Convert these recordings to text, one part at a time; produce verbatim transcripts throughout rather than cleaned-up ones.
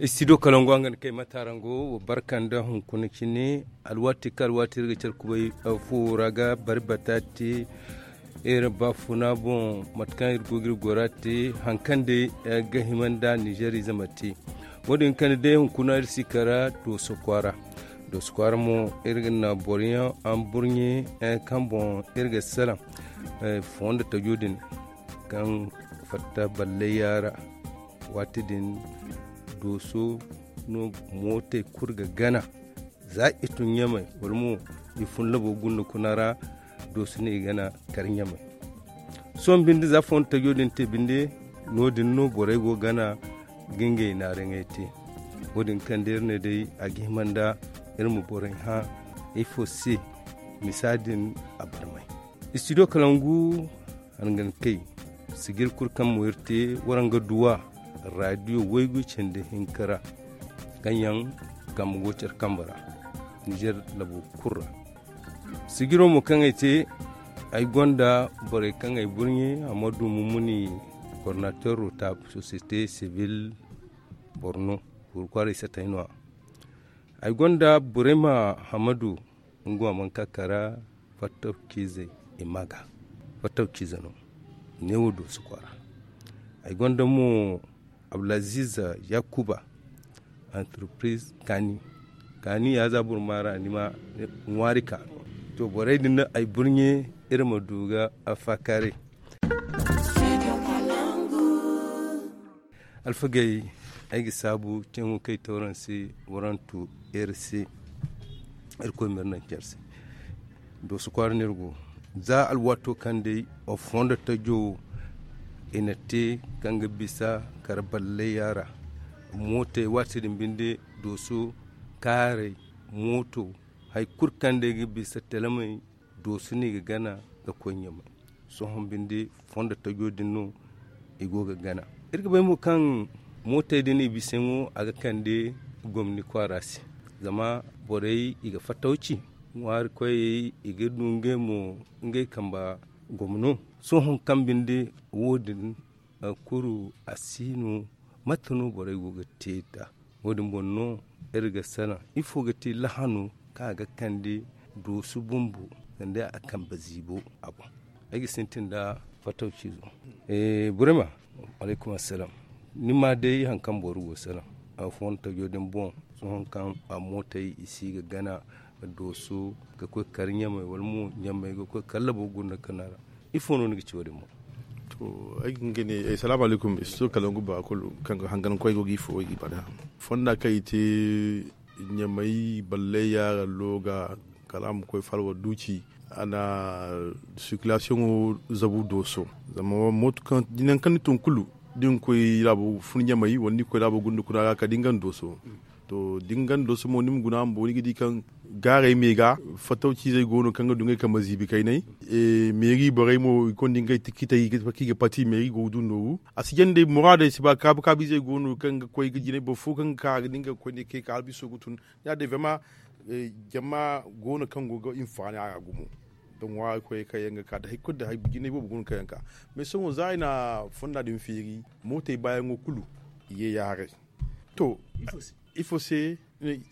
Istidiyo kalangu a ga ni kay matarango wa barka nda hunkuna cine. Alwaati ka alwaati iri ga care kubay fuwo ra ga bari bata te. Iri baafuna boŋ mate kaŋ iri go ga iri gora te hari kaŋ day ga hima nda nizeer ize ma te. Wo- din kande day hunkuna iri si kara dooso kwaara. Dooso kwaara mo iri ga na boro yaŋ a ma burɲe kaŋ boŋ iri ga salaŋ fondo tajo din kaŋ fatta ballay yaara. Waati din dooso no mootey kulu ga gana. Za i tun ɲamay wala mo i fun labo gunda kuna ra. Dooso no i gana kar ɲamay. Sohõ binde za fondo tajo din te binde no- din no borey go gana ga ngey naaraŋey te. Wo- din kaŋ day iri ne day a ga hima nda iri ma borey hã ifo se. Misa din a barmay. Istidiyo kalangu a na ga ni kay. Sijir kulu kaŋ mo iri te waraŋ ga duw'a raadiyo waygu cindi hinka ra. Kaŋ yaŋ kambe go care kambe ra nizeer labo kulu ra. Sijiro mo kaŋ ay te ay gonda borey kaŋ ay burɲe hammadu mumuni kornater rotab sosiyete sibil borno. Gurkwaaray satay no- ya ay gonda burema hammadu. Nga wa mana ka kara fattawciizey i ma ga fattawciize no. Neewo doosu kwaara ay gonda mo abdulaziz yakuba. Antarpiriz kaani kaani ya za boro maara ni ma ŋwaari ka. To borey din no ay burɲe iri ma du ga faakaaray. Alfagey ay ga saabu ceeŋo kaŋ ay te waraŋ se. Waraŋ tu iri se. Irkoy ma iri naŋ care se. Dooso kwaara no iri go za alwaato kaŋ day fondo tajo wo i na te kaŋ ga bisa kara ballay yaara. Mootey waati din binde dooso kaaray mooto hari kulu kaŋ day ga bisa telamey dooso no i ga gana ga koy ɲamay. Sohõ binde fondo tajo din no i go ga gana. Iri ga bay mo kaŋ mootey din i bisayaŋo a ga kande gomni kwaara se. Zama borey i ga fattawci ŋwaari koyey i ga du ngey mo ngey kamba gomno. Sohõ kaŋ binde wo- din kuru a si no mate no borey go ga te nd'a? Wo- din boŋ no iri ga salaŋ ifo ga te lahano kaŋ a ga kande doosu bumbo sanda a kambe ziibo a boŋ. Ay ga sintin nda fattawciizo. Burema alaykum assalaam. Ni ma day hari kaŋ boro go salaŋ a fondo tajo din boŋ. Sohõ kaŋ a mootey i si ga gana doosu ga koy kar ɲamay wala mo ɲamay ga koy kar labo gunda kana ra. Ifo no ni ga ci wo- din boŋ? To ay ga nga ne salaamu alaykum istidiyo kalangu ba kulu kaŋ ga hangan koy go ga ifo way ga i bana fonda kaŋ i te ɲamay ballay yaara looga kala a ma koy falwa duuci. A na sirkilasiyoŋo zabu dooso zama mooto kaŋ jinayaŋ kaŋ ni tun kulu da ni koy laabo fun ɲamay wala ni koy laabo gunda kuna ra kala da ni gana dooso. To da ni gana dooso mo ni ma guna bumbo ni ga di kaŋ gaaray me ga fattawciizey go no kaŋ ga du ngey kambe ziibi kaynay. Meeri borey mo i konda ngey tikitey kaŋ i ga pati meeri go ga du nooru. A si jaŋ day muraadey si ba kaabu kaabu izey go no kaŋ ga koy ga jinay boro fo kaŋ ga ka a ga di nga ga koy ne kay ka albiso ga tun. Ya- din vraiment jama go no kaŋ go ga hinfaani a ra gumo. Da ŋwaari koyey kaŋ yaŋ ga ka da hari kulu da jinay boobo go no kaŋ yaŋ ga ka. Mais sohõ za i na fonda din feeri mootey baayaŋo kulu i ye yaaray. To ifo se?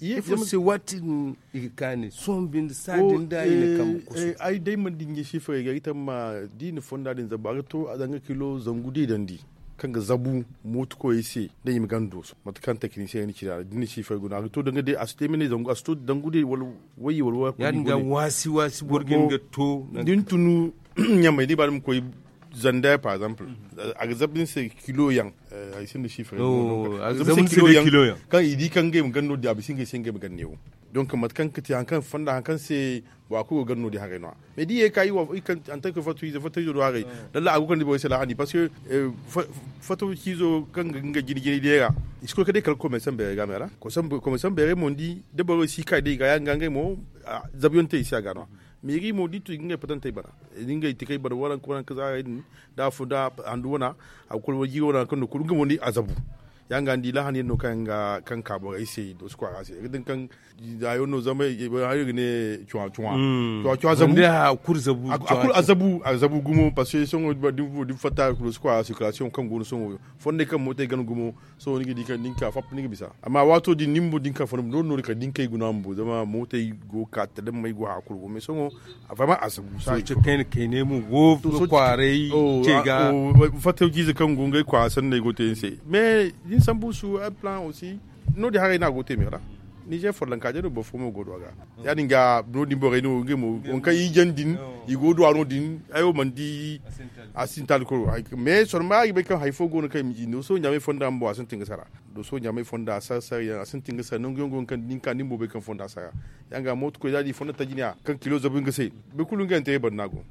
Ifo se waati din i ga kaani sohõ binde saadin da i na kambe kusu. Ay day mana di ɲa sifarey ga ay tamma da i na fonda din zabu a ga to a danga kilo zangu da i dandi kaŋ ga zabu mooto koyey se da i ma gana dooso mate kaŋ takinisiyeŋ ni ci da a ra da ni na sifarey guna a ga to danga day a si te mene zangu a si to dangu day wala wayye wala wayye ya- din ga waasi waasi boro ga hin ga to da ni tunu ɲamay da i ba ni ma koy zanda par exemple a ga zabu ni se kilo yaŋ. Ay sinda sifre a ga zabu ni se kilo yaŋ kaŋ i di kaŋ ngey ma ganno di a bisa ngey se ngey ma ganne wo. Donc mate kaŋ ga te hari kaŋ fonda hari kaŋ se bora kulu go ganno di haray no ya mais da i ye ka i wa en tant que fato izo fato izo do haray. Dalla a go kaŋ di borey se laahani parce que fato ciizo kaŋ ga nga jine jine day ra i si koy ka day kala komersan beerey ga me ra komersan beerey mo ni di da borey si ka day i ga ya nga ngey mo zabuyaŋ te i se a ga no ya. Meeri mo da i tun i ga ngey patantey bana da ngey tikey bana waranka waranka zaarey din da afo da handu wana a ga kulu wala jiiri wana kaŋ no kulu nga mo ni a zabu. Yaŋ ga ni di laahani yaŋ no kaŋ yaŋ ga kaŋ ka borey se doosi kwaara se. Ay ga din kaŋ hayo no zama hayo ga ne cuwa cuwa cuwa cuwa zabu. A kulu a zabu a zabu gumo parce que sohõ da ni fatta doosi kwaara circulation kaŋ go no sohõ fondey kaŋ mootey gana gumo. Sohõ ni ga di kaŋ da ni ka fap ni ga bisa. Amma waato din ni bumbo da ni ka fondey bumbo noori noori kala da ni kay guna bumbo zama mootey go ga ka tala may go haya kulu go mais sohõ a fama a sabu. Sohõ kayna kayna mo go ga kwaaray ce ga. Fattaw ciize kaŋ go ngey kwaara sanney go te ni se mais da ni sambu su ay plan aussi. No- din haray no a go te me ra nizer follanka day no boro fo mo go du a ga. Ya- din ga no- din borey no ngey mo waŋ kaŋ i jaŋ din i go du a no- din ay wo mana di. A sintin alkoro mais sorma ay ga bay kaŋ hari fo go no kaŋ i ma ci no sohõ ɲaamay fonda bumbo a sintin ga sara. Do sohõ ɲaamay fonda sara sara yaŋ a sintin ga sara nangu yaŋ go no kaŋ da ni ka ni bumbo bay kaŋ fonda sara. Ya- din ga mooto koy za di fonda taji ne a kaŋ kilo zabu nga se. Boro kulu nga yaŋ te ay banda go.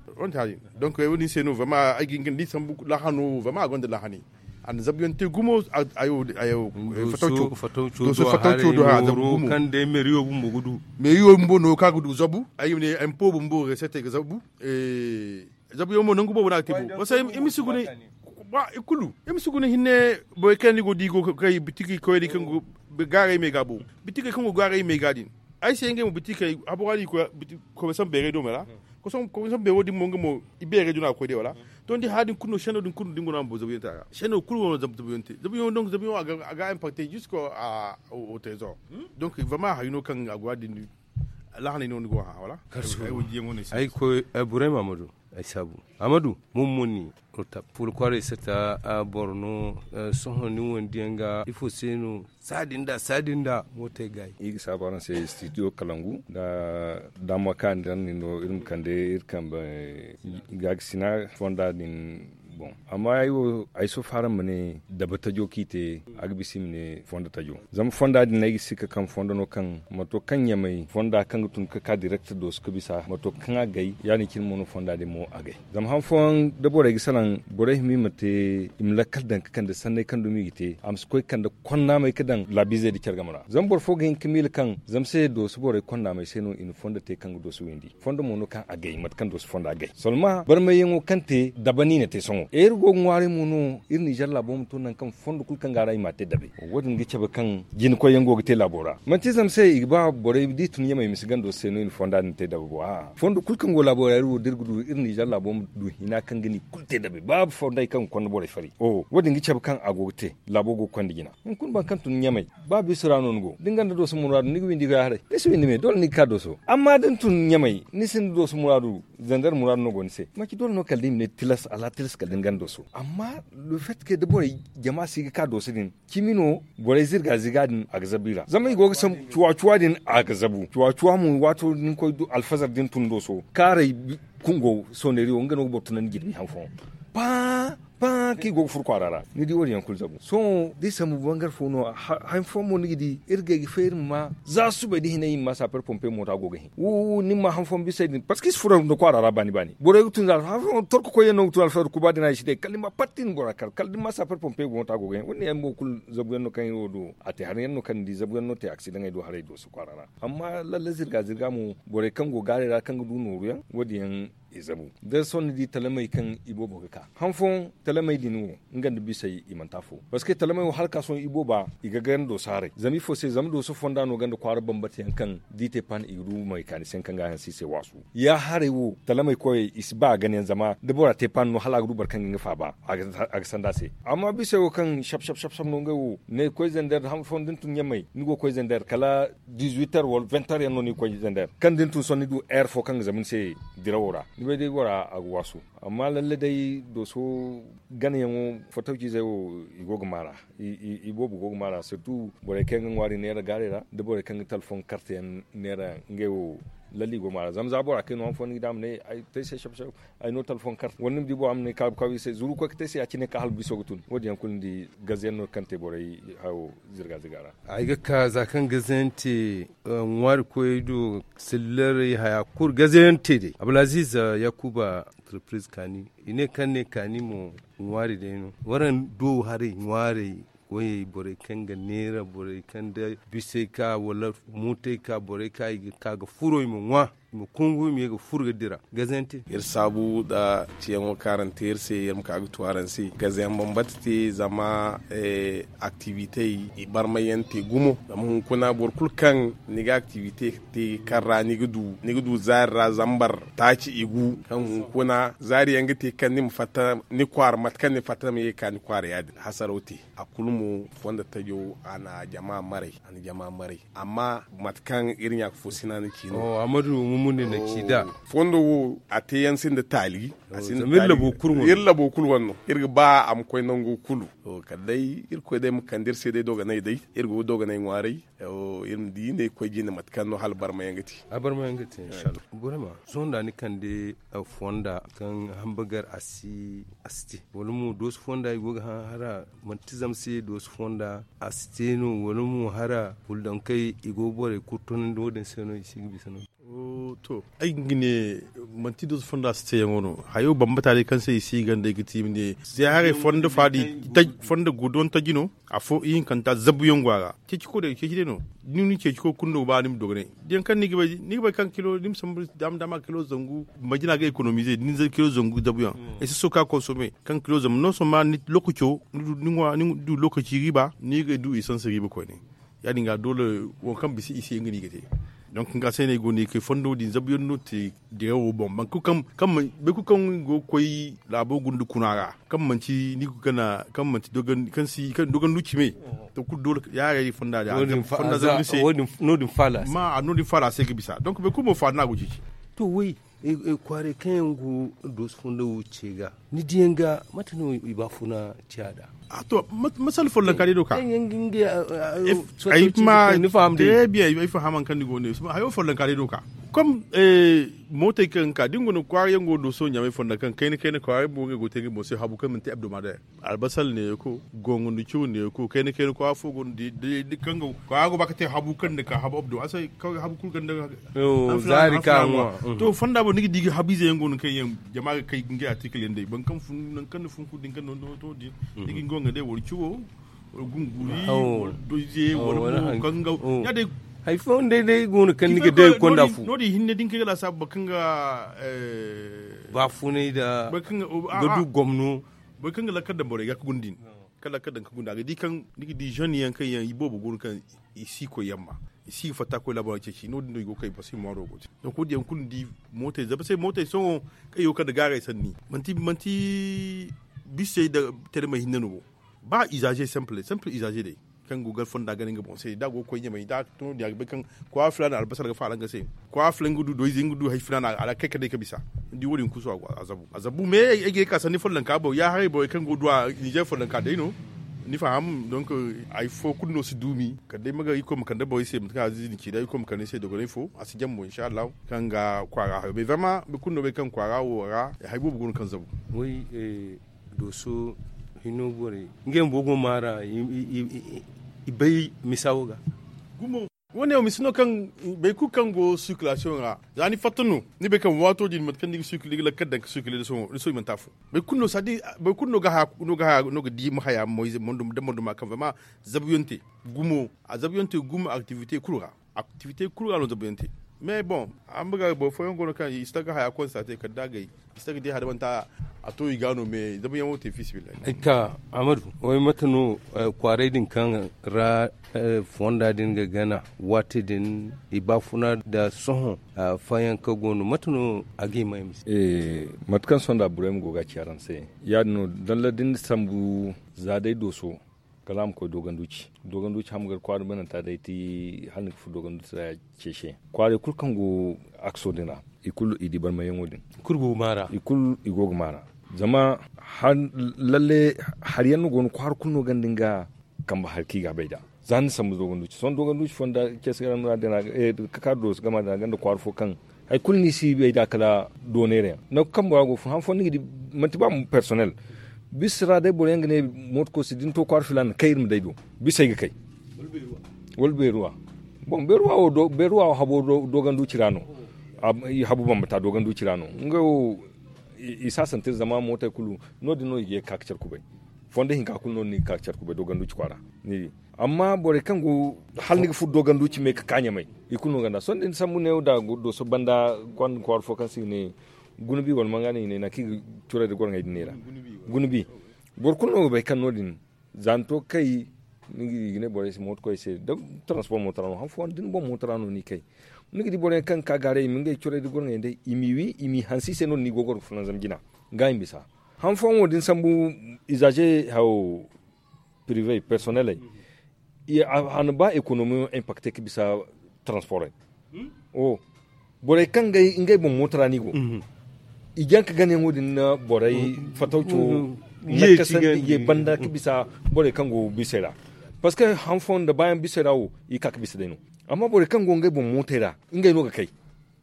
Donk ay wo- din se no vraiment ay ga hin ga ni di sambu laahano vraiment a gonda laahani. A na zabuyaŋ te gumo. Ayo ayo fattaw co do hara zabu gumo kaŋ day meriyo bumbo ga du. Meriyo bumbo no kaŋ a ga du zabu ay ga ne empo bumbo resetey ga zabu. Zabuyaŋ mo nangu boobo no a ga te bo parce que i ma si guna i kulu i ma si guna hinne. Borey kaŋ ni go di go kay bitiki koyri kaŋ go gaaray me ga bo. Bitikey kaŋ go gaaray me ga din ay se ngey mo bitikey habora di koy. Koy ma sambu beeray do me ra. Koy ma sambu beero din mo nga mo i beeray do no a ga koy day wala. To ni di haya din kulu no seno din kulu no da ni go no a ma bo zabuyaŋ te a ra seno kulu wo no zabuyaŋ te zabuyaŋo donk zabuyaŋo a ga importe jusque au trésor. Donc vraiment hari no kaŋ a go a din. Lahanay no ni go hã wala? Ay wo jiyaŋo no ay si ay koy ay burayma ma du. Ay saabu amadu mummuni. Fula kwaaray sata boro no. Sohõ ni wondiyaŋ ga ifo se no? Saadin da saadin da mootey gaayi. Iri ga saabu araŋ se studio kalangu nda daama kaani daŋ ni no iri ma kande iri kambe. Gaagasina fonda din. Boŋ amma ay wo ay sofa araŋ ma ne dabe tajo kaŋ i te a ga bisa i ma ne fondo tajo. Zama fonda din ay ga si ka kaŋ fondo no kaŋ mato kaŋ ɲamay fonda kaŋ ga tun ga ka direct dooso ga bisa mato kaŋ a gay ya- din cine mo no fonda din mo a gay. Zama han fooyaŋ da borey ga salaŋ borey hima i ma te i ma lakkal daŋ ga kande sanney kaŋ dumi i ga te a ma si koy ga kande konnaamey ga daŋ laabiizey nda care game ra zama boro fo ga hin ga miila kaŋ zama se dooso borey konnaamey se no i na fondo te kaŋ ga dooso windi. Fondo mo no kaŋ a gay mate kaŋ dooso fondo a gay solma barmayyaŋo kaŋ te dabe no i na te sohõ iri go ga ŋwaaray mo no. Iri nizer laabo ma to nangu kaŋ fondo kulu kaŋ ga a ra i m'a te dabe. Wo- din ga cabe kaŋ jinakoyyaŋ go ga te laabo ra manti zama se i ga ba borey da i tun yamey ma si gando se no i na fonda din te dabe bo a'a fondo kulu kaŋ go laabo ra iri wo da iri ga du iri nizer laabo ma du hina kaŋ ga ni kulu te dabe ba fondey kaŋ ga konda borey fari. Wo- din ga cabe kaŋ a go ga te laabo go ga konda jina. Hunkuna boro kaŋ tun ɲamay ba biisa ra no ni go da ni gonda dooso muraadu ni ga windi ga haray da ni si windi me doole ni ga ka dooso amma da ni tun ɲamay ni sinda dooso muraadu. Zandar muraadu no go ni se manci doole no kala da i ma ne tilas ala tilas kala da ni gonda dooso amma le fait que da borey jama si ga ka dooso din cimi no borey zirga zirga din a ga zabu i ra zama i go ga sambu cuwa cuwa din a ga zabu cuwa cuwa mo waato da ni koy alfazar da ni tun dooso kaaray kungo soonari wo nga no ga boro tunandi jirbi han fooyaŋ. Paa paa kaŋ i go ga furo kwaara ra ni di wo- din yaŋ kulu zabu sohõ da i sambu bangar fo no. Han fooyaŋ mo ni ga di iri gay ga feeri ma ma za subay da hinay i ma ma saper pompe moota go ga hin wo- wo ni ma han fooyaŋ bisa i din parceque i si furo nda kwaara ra baani baani borey ga tun za han fooyaŋ torko koyyaŋ no ga tun alfayda kuba din a i si day kala ni ma parti ni bora kar kala da ni ma saper pompe moota go ga hin wo- din yaŋ mo kulu zabuyaŋ no kaŋ iri wo du a te haraŋ yaŋ no kaŋ ni di zabuyaŋ no te aksidaŋey do haray dooso kwaara ra. Amma lalle zirga zirga mo borey kaŋ go gaaray ra kaŋ ga du nooruyaŋ wo- din yaŋ i zabu da sohõ ni di talamey kaŋ i boobo ga ka han fooyaŋ talamey din wo nga nda bisey i manti afo parceque talamey wo hala ka sohõ i booba i ga ganda dooso haray zama ifo se zama dooso fonda no ganda kwaara bambata yaŋ kaŋ da i te paan i ga du may kaani se kaŋ ga a hanse i se waasu ya haray wo talamey koyey i si ba a gana yaŋ zama da bora te paan no hala a ga du boro kaŋ ga nga faaba a ga sanda a se. Amma bisey wo kaŋ sab sab sab no ngey wo ne koy zender han fooyaŋ da ni tun ɲamay ni go ga koy zender kala dizuiter wala venter yaŋ no ni ga koy zender kaŋ da ni tun sohõ ni du air fo kaŋ ga zama ni se dirawo ra ni bay day bora a ga waasu. Amma lalle day dooso ganayaŋo fotawciizey wo i go ga maara i boobo go ga maara sirtu borey kaŋ ga ŋwaari neera gaaray ra da borey kaŋ ga talfoŋ karteyaŋ neera ngey wo. Lalle i go ga maara zama za bora kay no han fooyaŋ ni ga di a ma ne ay te ay se sab sab ay no talfoŋ karte wala ni ma di bora ma ne kaabu kaabu i se zuru koy ga te ay se ya- cine ka hala biso ga tun wo- din yaŋ kulu ni di gaze yaŋ no kaŋ te borey hayo zirga zirga ra. Ay ga ka za kaŋ gaze yaŋ te ŋwaari koyey do sillarey haya kulu gaze yaŋ te day abdulaziz yakuba entreprise kaani i ne kaŋ ne kaani mo ŋwaari day no waraŋ do haray ŋwaarey koyey borey kaŋ ga neera borey kaŋ da bisey ka wala mootey ka borey ka i ga ka ga furo i ma ŋwa. i ma kungu i ma ye ga furo ga dira. Gazante. Iri saabu nda ciyaŋo kaŋ araŋ te iri se iri ma ka ga tu araŋ se gazayaŋ bambata te zama aktiwitey i barmay yaŋ te gumo zama hunkuna boro kulu kaŋ ni ga aktiwite te kaŋ ra ni ga du zaari ra zambar taaci i gu kaŋ hunkuna zaari yaŋ ga te kaŋ ni ma fatta ni kwaara mate kaŋ ni fatta ma ye ga ka ni kwaara ya- din hasaraw te. A kulu mo fondo tajo a na jama maray a na jama maray. Amma mate kaŋ iri ɲaaka fo sina ni ci no. Amadu mumuni na ci da. Fondo wo a te yaŋ sinda taali. Iri labo kulu wane no iri ga ba a ma koy nango kulu. Kala day irkoy day ma kande iri se day dogonay day iri go ga dogonay ŋwaaray. Iri ma di ne koy jine mate kaŋ no hala barmayaŋ ga te. Barmayaŋ ga te. Sohõ da ni kande fonda kaŋ hambagar a si a si te wala mo dooso fonda i go ga hã hara manti zama se dooso fonda a si te no wala mo hara huldankey i go ga borey kurtonandi wo- din se no i si ga bisa no. To ay ga ne manti dooso fonda a si te yaŋo no hayo bambata day kaŋ se i si ga ganda ay ga ti i ma ne se haray fonda faadi fondo gudon taji no. Afo ihinkanta zabuyaŋ go a ra ceeci ko day ceeci day no. Ni ma ni ceeci ko kulu no ga ba ni ma dogonay da yaŋ kaŋ ni ga bay ni ga bay kaŋ kilo ni ma sambu daama daama kilo zangu majina ga ekonomize da ni zay kilo zangu zabuyaŋ. Ay si soka konsome kaŋ kilo zangu no soma ni lokaco ni du lokaci riiba ni ga du isansi riiba koyne. Ya- din ga doole waŋ kaŋ bisa i se nga no i ga te. Donk nga se no ay go no ay ga kay fondo din zabuyaŋ no te dirawo boŋ boro kulu kaŋ i go ga koy laabo gunda kuna ra kaŋ manti ni ga gana kaŋ manti kaŋ si kaŋ dogondu cime. To kulu doole ya- haray fonda din a no- din faala se ga bisa donk boro kulu mo faala no a go ceeci. To woy kwaaray kaŋ yaŋ go dooso fondo wo ce ga ni di yaŋ ga mate no i baafuna ciya nd'a? To masala follonka day no ka ay faham haŋ kaŋ ni go ne hayo follonka day no ka kom mootey kaŋ ga ka da ni go no kwaara yaŋ go no sohõ ɲaamey fonda kaŋ kayna kayna kwaara yaŋ mo ngey go ga te ngey boŋ se habu kaŋ manti abdomadaire albasal neeko gongondu caw neeko kayna kayna kwaara fo go no da kaŋ ga kwaara go ba ga te habu kaŋ ni ga ka habu abdo a se kawai habu kulu ganda. Zaari ka ŋwa to fonda boŋ ni ga di ga habu ize yaŋ go no kaŋ yaŋ jama ga kay ngey artikil yaŋ day boro kaŋ fun nangu kaŋ ni fun kulu din kaŋ no to din ni ga nga wo nga day wala cawo wala gunguri wala doize wala mo kaŋ ga ya- day hari fooyaŋ day day go no kaŋ ni ga day konda fu no- din hinne din kaŋ ga laasaabu boro kaŋ ga baafunay nda ga du gomno boro kaŋ ga lakkal daŋ borey ga ga guna din kaŋ lakkal daŋ ga guna a ga di kaŋ ni ga di jeune yaŋ kaŋ yaŋ i boobo go no kaŋ i si koy yamma i si ga fatta koy laabo ra ceeci no- din no i go ga kay parce que i ŋwaaro go te donc wo- din yaŋ kulu ni di mootey zama se mootey sohõ kaŋ i go ga kande gaaray sanni manti manti bisey nda termey hinne no bo ba izaze simple simple izaze day kaŋ go ga fonda gana nga boŋ se da a go ga koy ɲamay da a ga to no- din a ga bay kaŋ kwaara filaana albasar ga faala nga se kwaara filaana nga du doize nga du hari filaana a ra kay ka day ka bisa ni di wo- din kulu sohõ a zabu a zabu me ay ga ye ga ka sanni follonka boŋ ya haray borey kaŋ go ga du a nizer follonka day no ni faham donk hari fo kulu no si duumi kala day ma ga irkoy ma kande borey se mate kaŋ aziizi din ci day irkoy ma kande ni se dogonay fo a si jambo inshallahu kaŋ ga kwaara hayo bay vraiment boro kulu no bay kaŋ kwaara wo ra hari boobo go no kaŋ zabu. Dooso hino borey ngey bumbo go maara i bay misa wo ga. Wo- ne wo misa no kaŋ boro kulu kaŋ go circulation ra za ni fatta no ni bay kaŋ waato din mate kaŋ ni ga circuler ga lakkal daŋ ga circuler da sohõ i mana te afo boro kulu no ga haya no ga di ma haya moyze da monduma kaŋ vraiment zabuyaŋ te gumo a zabuyaŋ te gumo activité kulu ra. Activité kulu ra no zabuyaŋ te mais bon a ma ga boro fooyaŋ go no kaŋ i si ta ga haya constater kala da agay i si ta ga di haya da manti a to i ga no mais zabuyaŋo te fiisabilillahi. Ay ka amadu way mate no kwaaray din kaŋ ra fonda din ga gana waati din i baafuna nda sohõ fayanka go no mate no a ga i may mise? Mate kaŋ sohõ nda burayma go ga a ci araŋ se ya- din no dalla da ni sambu za day dooso kala a ma koy dooganduuci dooganduuci hamgar kwaara bananta day ti hala ni ga furo dooganduuci ra ceece kwaaray kulu kaŋ go akso din ra i kulu i di barmayyaŋo din i kulu i go ga maara zama lalle hari yaŋ no go no kwaara kulu no ganda nga kambe hari kaŋ i ga a bay nd'a za ni sambu dooganduuci sohõ dooganduuci fonda ceese ga ra no ra din ra ka ka dooso gama din ra ganda kwaara fo kaŋ hari kulu no i si bay nd'a kala doonay ra yaŋ nangu kaŋ bora go fun han fooyaŋ ni ga di manti ba mo personnel bisa ra day boro yaŋ ga ne mooto koosi da ni to kwaara filaana kay iri ma day do bisa ay ga kay wala beeruwa bon beeruwa wo habo dooganduuci ra no habu bambata dooganduuci ra no nga wo i si a santir zama mootey kulu no- din no i ga ye ga ka ga care kubay fondo hinka kulu no- din no i ga ka ga care kubay dooganduuci kwaara ni di Amma borey kaŋ go hala ni ga furo doogandu cimey ga ka ɲamay. I kulu no ganda sohõ da ni sambu neewo da dooso banda kwaaru fo kaŋ se i ga ne guna bi wala manga no i ne nangu kaŋ i ga coray da goro ŋey din neera. Guna bi boro kulu no ga bay kaŋ no- din za ni to ga kay, ni ga ne borey se mooto koy se da taranspor mooto ra no han fooyaŋ da ni boŋ mooto ra no ni ga kay. Ni ga di boroyaŋ kaŋ ga ka gaaray i ma ngey coray da goro ŋey day i m'i wi i m'i hanse i se no- din i go ga goro ga fulanzam jina ga i ma bisa. Han fooyaŋ wo da ni sambu izaaze haw pirive personeley a na ba ekonomi impakte ga bisa taransporey. Borey kaŋ ngey boŋ mooto ra no i go i jaŋ ga ganayaŋo din na borey fatawco nakasandi ye banda ga bisa borey kaŋ go bisey ra. Parceque han fooyaŋ nda baayaŋ bisey ra wo i ga ka ga bisa day no. Amma borey kaŋ go ngey boŋ mootey ra ngey no ga kay.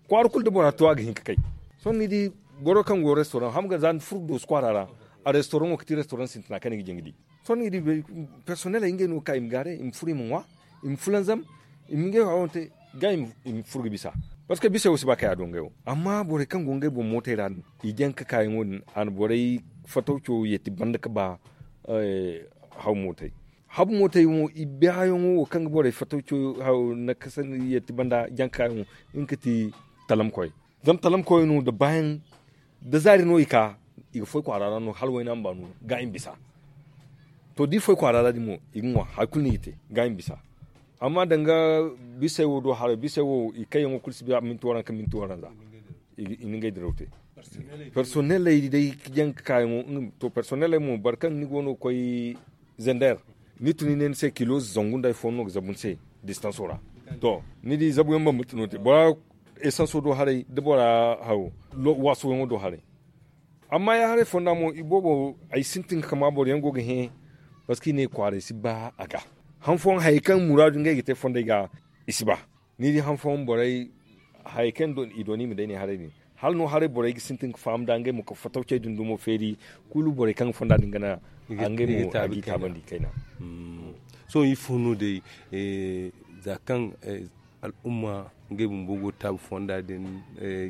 Kwaara kulu da bora to a ga hin ga kay. Sohõ ni di boro kaŋ go restoran ham ga za ni furo dooso kwaara ra a restauranto ga ti restoran sintina kaŋ ni ga jin ga di. Sohõ ni ga di personeley ngey no ga ka i ma gaare i ma furo i ma ŋwa i ma fulanzam i ma ngey hayo te ga i ma furo ga bisa. Parceque bisey wo si ba kay a do ngey wo amma borey kaŋ go ngey boŋ mootey ra din i jaŋ ga kaayaŋo din a na borey fatawco yeeti banda ga ba haw mootey. Habu mootey mo i baayaŋo wo kaŋ ga borey fatawco haw nakasandi yeeti banda jaŋ ga kaayaŋo nga ga ti talamkoy. Zama talamkoy no nda baayaŋ da zaari no i ka i ga foy kwaara ra no hala wayna ma ba no ga i ma bisa. To da i foy kwaara ra din mo i ga ŋwa hari kulu no i ga te ga i ma bisa. Amma danga bisey wo do haray bisey wo i kayyaŋo kulu si ba minti waranka minti waranza i na ngey diraw te. Personeley day jaŋ ga kaayaŋo to personeley mo boro kaŋ ni go no ga koy zender ni tun i ne ni se kilo zangu nda hari fooyaŋ no ga zabu ni se distanso ra. To ni di zabuyaŋ bambata no te bora esanso do haray da bora haw waasoyaŋo do haray. Amma ya haray fonda mo i boobo ay sintin ga kama boro yaŋ go ga hẽ. Parceque i ne kwaaray si ba a ga han fooyaŋ hayey kaŋ muraadu ngey ga te fonday ga i si ba. Ni di han fooyaŋ borey hayey kaŋ i dooni i ma day ne haray din hala no haray borey ga sintin ga faham nda ngey ma ka fatawcey din dumo feeri. Kulu borey kaŋ ga fonda din gana ngey mo a g'i taabandi kayna. Sohõ ifo no day za kaŋ al'umma ngey bumbo go taabu fonda din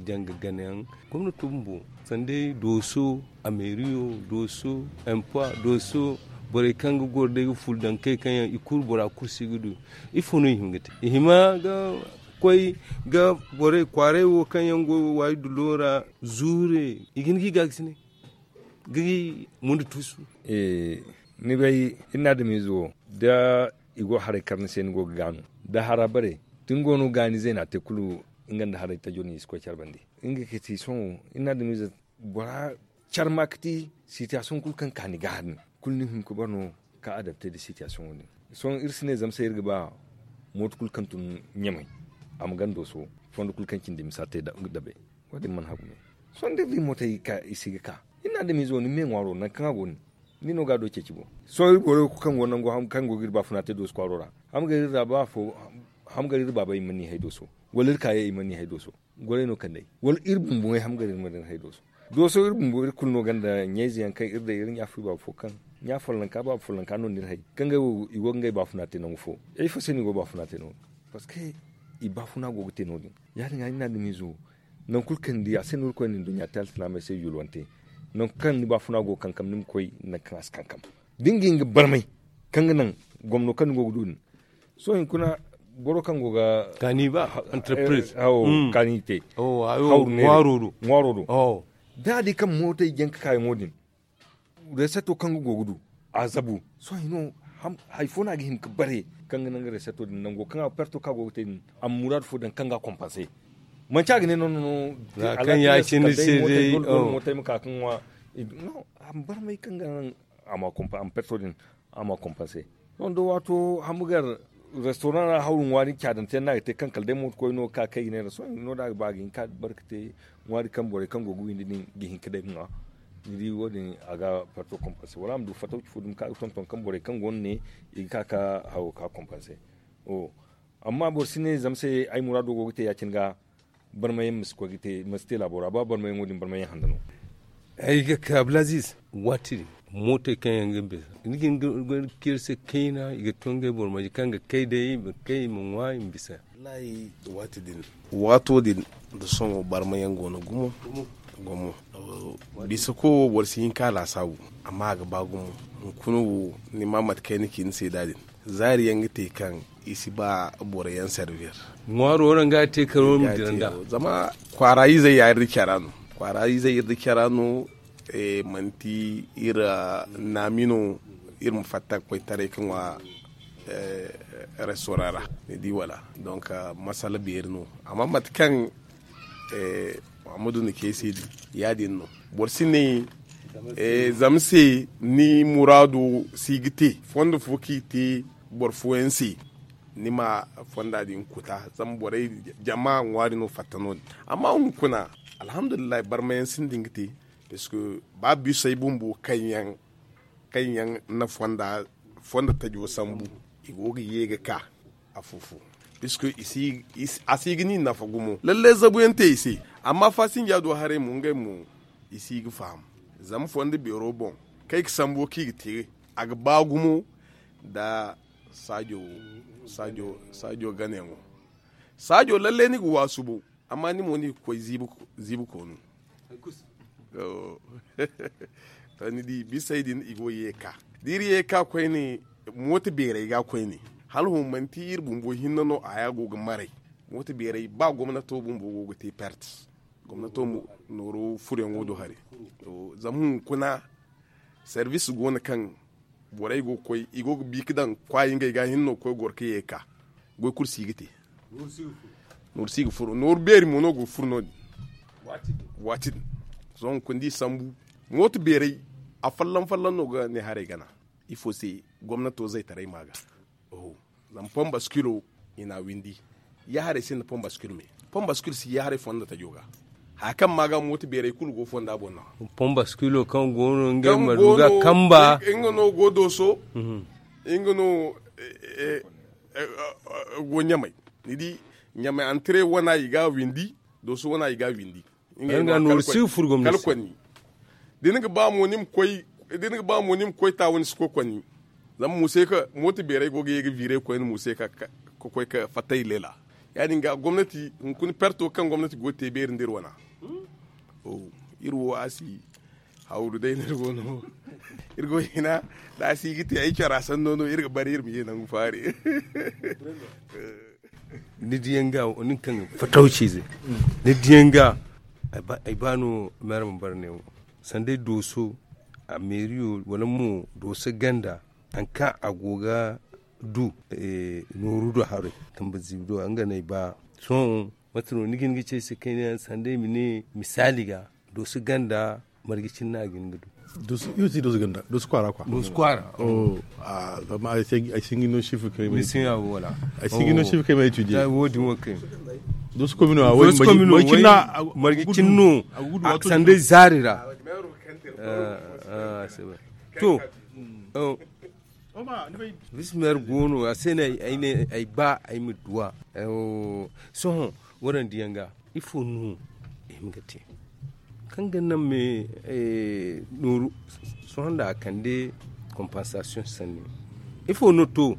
janga ganayaŋ gomnato bumbo sanda dooso ameriyo dooso empois dooso borey kaŋ ga goro day ga ful daŋ kay kaŋ yaŋ i kulu bora kulu si ga du. Ifo no i hima ga te i hima ga koy ga borey kwaaray wo kaŋ yaŋ go waayi dulo ra zuure i ga hin ga i gaakasinay ga i munda tuusu. Ni bay iri na adamiize wo da i go haray kar ni se ni go ga gaanu da hara bare da ni go no gaani zeena te kulu nga nda haray tajo no i si koy care bande. Nga ga ti sohõ iri na adamiize bora care ma ga ti sitiyasiyoŋ kulu kaŋ ka ni ga hari ni kulu ni hin ga bare no ka adapte nda sitiyasiyoŋo din. Sohõ iri si ne zama se iri ga ba mooto kulu kaŋ tun ɲamay a ma ganda dooso fondo kulu kaŋ cindi misa te dabe. Wo- din mana hagu me sohõ da iri di mootey ga ka i si ga ka iri na adamiizo ni me ŋwaaro nangu kaŋ a go nin ni no ga a do ceeci boŋ. Sohõ iri borey wo kulu kaŋ go nangu kaŋ go ga iri baafuna te dooso kwaaro ra ham gar iri ra ba afo ham gar iri baabey i mana ni hay dooso wala iri kaayey i mana ni hay dooso. Goray no kand'ey wala iri bumbo ŋey ham gar iri mana ni hay dooso. Dooso iri bumbo iri kulu no ganda ɲayze yaŋ kaŋ iri day iri ɲa fo i baaba fo kaŋ ɲa follonka baaba follonka no nda iri hay kaŋ ngey wo i go ga ngey baafuna te nangu fo. Ifo se no i go ga baafuna te no- din parceque i baafuna go ga te no- din ya- din ga ni na adamiizo nangu kulu kaŋ ni di a se no iri koy na ni duɲɲa te alsilaamey se yulwante. Nangu kaŋ ni baafuna go ga kankam ni ma koy nangu kaŋ a si kankam da ni ga hin ga barmay kaŋ ga naŋ gomno kaŋ ni go ga du din. Sohõ hinkuna boro kaŋ go ga kaani ba entreprise hawo kaani te ŋwaaro do ŋwaaro do da a di kaŋ mootey jaŋ ga kaayaŋo din reseto kaŋ ga go ga du a zabu. Sohõ hino hari fo no a ga hin ga bare kaŋ ga naŋ ga reseto din nango kaŋ a ga perto kaŋ a go ga te din a ma muraadu fo daŋ kaŋ ga a kompanse. Manci a ga ne no no no kaŋ ya- cine se day mootey ma ka kaŋ ŋwa. No a ma barmay kaŋ ga naŋ a ma perto din a ma kompanse. Sohõ da waato hambugar restoran ra hawru ŋwaari caadante yaŋ no a ga te kaŋ kala day mooto koy no ga ka kay ga ne ra sohõ no da a ga ba a ga hin ka barka te ŋwaari kaŋ borey kaŋ go ga windi din ga hin ka day ga ŋwa. Ni di wo- din a ga parto kompanse wala a ma du fatawci fo dumi kaŋ a ga tonton kaŋ borey kaŋ go no ne i ga ka ka hawo ka kompanse. Amma boro si ne zama se ay muraado go ga te ya- cine ga barmayaŋ ma si koy ga te ma si te laabo ra ba barmayaŋo din barmayaŋ handa no. Ay ga ka abdulaziz waati din mootey kaŋ yaŋ ga bisa ni ga hin ga ceeri se kayna i ga to ngey boro maji kaŋ ga kay day i ma kay i ma ŋwa i ma bisa. Wallahi waati din waato din da sohõ barmayaŋ go no gumo gumo bisa ko wo boro si hin ka laasaabu amma a ga ba gumo. Hunkuna wo ni ma mate kaŋ ay na ci ni se da din Zaari yaŋ ga te kaŋ i si ba boro yaŋ servir. Ŋwaaro waraŋ ga te karo ma dira nda. Zama kwaara izey ya iri da cara no. Kwaara izey iri da cara no. Manti iri naami no iri ma fatta ga koy taray ga ŋwa restaurant ra, ni di wala? Donc masala beeri no. Amma mate kaŋ muhammadu na ce se din, ya- din no. Boro si ne zama se ni muraado si ga te fondo fo kaŋ i te boro fooyaŋ se, ni ma fonda din kuta. Zama borey, jama ŋwaari no fatta no- din. Amma hunkuna, alhamdulillahi, barmayaŋ sinda nga te. Parce que ba bisey bumbo kaŋ yaŋ na fonda tajo sambu, i go ga ye ga ka afo-fo. Parce que a si ga ni nafa gumo lalle zabu yaŋ te i se. Amma fasinja do haray mo ngey mo, i si ga faham. Zama fondo beero boŋ, kaŋ i ga sambu kaŋ i ga te, a ga ba gumo nda saajo ganayaŋo. Saajo lalle ni ga waasu bo, amma ni mo ni ga koy ziibi koonu. To ni di bisey din i go ye ga ka, da iri ye ga ka koyne, mooto beerey ga koyne, hala hõ manti iri bumbo hinne no a ya go ga maray. Mooto beerey ba gomnato bumbo go ga te perte. Gomnato mo nooro furoyaŋo do haray. Zama hunkuna, service go no kaŋ borey go ga koy, i go ga bi ga daŋ kwaayi ngey ga hinne no ga koy goro ga ye ga ka. Goy kulu si ga te. Nooru si ga furo nooru beeri mo no go ga furo no- din. Waati din, sohõ hunkuna da i sambu, mooto beerey, afolloŋ-folloŋ no ga ne haray gana. Ifo se? Gomnato zaytaray ma ga. Zama pon baskilo, i n'a windi. Ya haray sinda pon baskil me. Pon baskil si ya haray fonda tajo ga. Haya kaŋ ma ga mooto beerey kulu go fonda boŋ no. Pon baskilo kaŋ go no ngey ma du ga kamba. Nga no go dooso. Nga no go ɲamay. Ni di, ɲamay antire wana i ga windi. Dooso wana i ga windi. Nga nooru si ga furo gomnati kala kwanni. Da ni ga ba mo ni ma koy taawani si koy kwanni. Zama muuse ka mooto beerey go ga ye ga viire koyne muuse ka koy ka fatta i leela. Ya- din ga gomnati hunkuna perto kaŋ gomnati go ga te beeri nda iri wana. Iri wo a si hawru day no iri go no. Iri go hina, da a si ga te ay cara sanno no iri ga bare iri ma ye nangu faari. Ni diyaŋ ga nin kaŋ fatawciize, ni diyaŋ ga ay ba no meera ma bare neewo. Sanday dooso, a meeriyo wala mo dooso ganda, hari kaŋ a go ga du nooru do haray, tamba ziibi do nga no ay ba. Sohõ mate no ni ga hin ga ci ay se kayna yaŋ sanday ma ne misaali ga, dooso ganda marje cine no a ga hin ga du? Dooso kwaara kwa. Dooso kwaara. Amma ay si ga no sifir kay ma ay tuudiye. Wo- din wo kay. Dooso komino a way marje cine no, sanday zaari ra. To, bismeer go no a se no ay ne ay ba ay ma duwa. Sohõ waraŋ diyaŋ ga ifo no i ma ga te kaŋ ga naŋ me nooru? Sohõ nda a kande compensation sanni, ifo no to?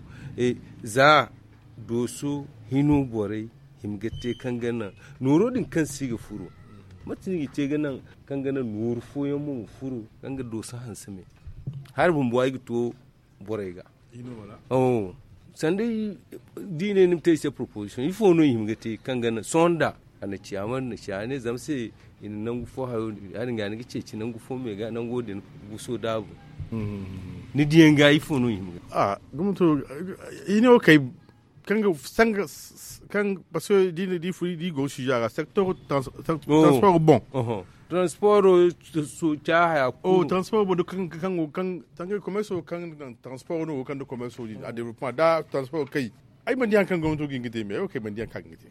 Za dooso hino borey i ma ga te kaŋ ga naŋ nooro din kaŋ si ga furo, mate no i ga te ga naŋ kaŋ ga naŋ nooru fooyaŋ mo ma furo kaŋ ga dooso hanse me? Hari bumbo ay ga to borey ga. Sanday da i ne ni ma te i se proposition ifo no i hima ga te kaŋ ga naŋ sohõ nda a na ciya ma na ciya ne zama se i na nangu fo hayo ya- din ga ni ga ceeci nangu fo me ga nango din guso daabu. Ni diyaŋ ga ifo no i hima ga te? I ne wo kay kaŋ ga sanga kaŋ parce que da i na di furi da i go sujet ra secteur transport bon. Transport ca haya kulu transport bon kaŋ kaŋ kaŋ kaŋ commerce kaŋ transport no kaŋ da commerce din a développement da transport kay. Ay mana di hari kaŋ gomnato ga hin ga te me ay wo kay mana di hari kaŋ ga hin ga te.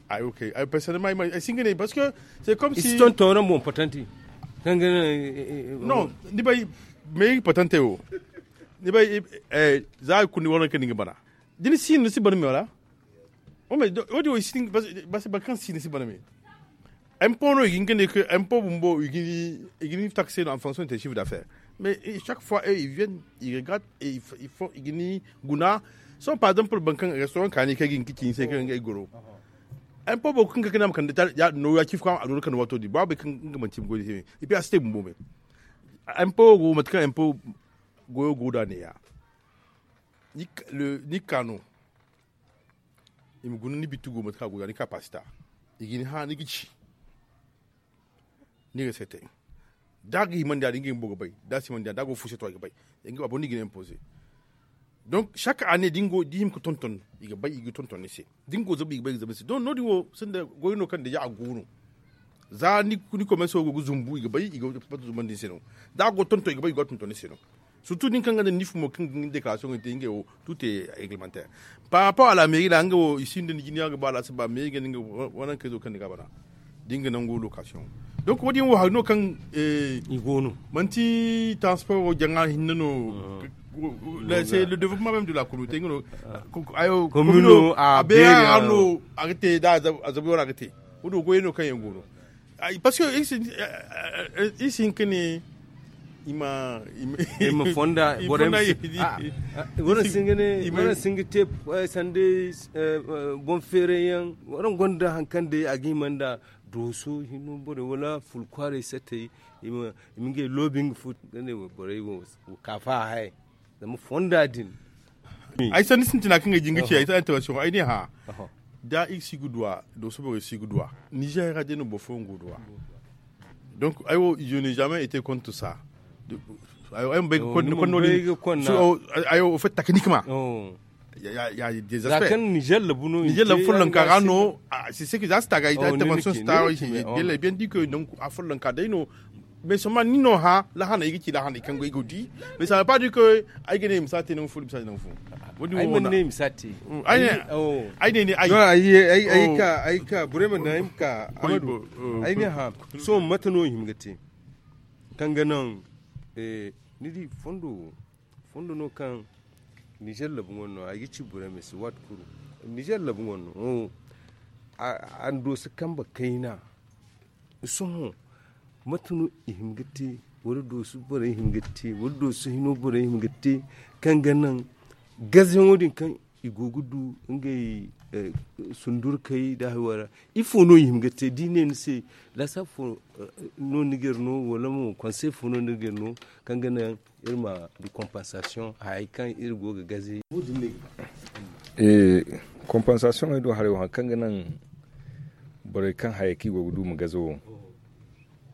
Ay wo kay ay personnellement ay si hin ga ne parce que c'est comme si i si tonton ran bon patante kaŋ ga non ni bay me patante wo ni bay za kundi wala kaŋ ni ga bana da ni si no ni si bana me wala? Wo- din wo i si tin basi boro kaŋ si ni si bana me. Impôt no i ga hin ga ne ka impôt bumbo i ga ni taxe no en fonction de tes chiffres d'affaires. Mais chaque fois ils viennent ils regardent et ils font i ga ni guna. Sohõ par exemple boro kaŋ restaurant kaani kaŋ ga hin ga ci ni se kaŋ ga ay goro impôt boro kaŋ ga kande a ma kande ya- din no ya ci fo kaŋ a doona kande waato din ba bay kaŋ nga manti i ma goy da se me. Et puis a si te bumbo me. Impôt go mate kaŋ impôt goyo go da ne ya. Ni ga ka no i ma guna ni bittu go mate kaŋ a go ga ni kapasita. I ga ni hã ni ga ci ni ga seetay. Da a ga himandi a da ngey bumbo ga bay da a si himandi a da a go ga fuuseto i ga bay. A boro no i ga ni impoze. Donc chaque année da i hima ga tonton i ga bay i ga tonton ni se. Da ni go zabu i ga bay i ga zabu ni se donc no- din wo sinda goy no kaŋ deja a go no. Za ni komerso go ga zumbu i ga bay i ga batu zumbandi ni se no. Da a go ga tonton i ga bay i go ga tonton ni se no. Surtout da ni kaŋ ga nda ni fumo kaŋ ga ni dekarasiyoŋ te ngey wo. Tute reglemantaire. Par rapport a la mairie ra nga wo i sinda ni jina ga ba laasaba mairie ga ni nga wane kayzo kaŋ ni ga a bana. Da nga nangu lokasiyoŋ. Donc wo- din wo hari no kaŋ i go no. Manti transport wo jaŋa hinne no. C'est le développement même de la communauté nga no. Ayo komino a beera no a ga te da a zabu yaŋ a ga te. Wo- din wo goyey no kaŋ yaŋ go no. Parce que iri si hin ka ne i ma fonda borey ma si. Waraŋ si hin ga ne waraŋ si hin ga te sanda boŋ feeray yaŋ. Waraŋ gonda hari kaŋ day a ga hima nda dooso hino borey wala fulkwaarey sattey. I ma ngey loobi nga fo ga ne borey wo kaafa a hayey. Zama fonda din. Ay sanni sintina kaŋ ay jin ga ci ay ta intervention ay ne hã. Da iri si ga duwa dooso borey si ga duwa nizer ra day no boro fooyaŋ go ga duwa. Donc ay wo je n'ai jamais été contre ça. Ay ma bay ga konda konda no din. Ay wo fait techniquement. Ya des aspects nizer labu no nizer labu follonka ra no. C'est ce que za si ta ga ay ta intervention si ta ga ay si bien di que donc a follonka day no. Mais seulement ni no hã lahaney i ga ci lahaney kaŋ go i go di. Mais ça veut pas dire que ay ga ne i ma si a te nangu fo i ma si a te nangu fo. Wo- din wo- ne i ma si a te. Ay ne ne ay ay ka ay ka burema na ay ma ka amadu. Ay ne hã sohõ mate no i hima ga te kaŋ ga naŋ ni di fondo wo fondo no kaŋ nizer labu ŋwano no ay ga ci burema se waati kulu. Nizer labu ŋwano no a na dooso kambe kayna. Sohõ mate no i hin ga te wala dooso borey hin ga te wala dooso hino borey hin ga te kaŋ ga naŋ gazayaŋo din kaŋ i go ga du ngey sundurkey da hayo ra. Ifo no i hin ga te da i ne ni se laasa fo no ni ga iri no wala mo konsey fo no ni ga iri no kaŋ ga naŋ iri ma du compensation hayey kaŋ iri go ga gaze. Compensation ey do haray wo hari kaŋ ga naŋ borey kaŋ hayey kaŋ i go ga du ma gaze wo.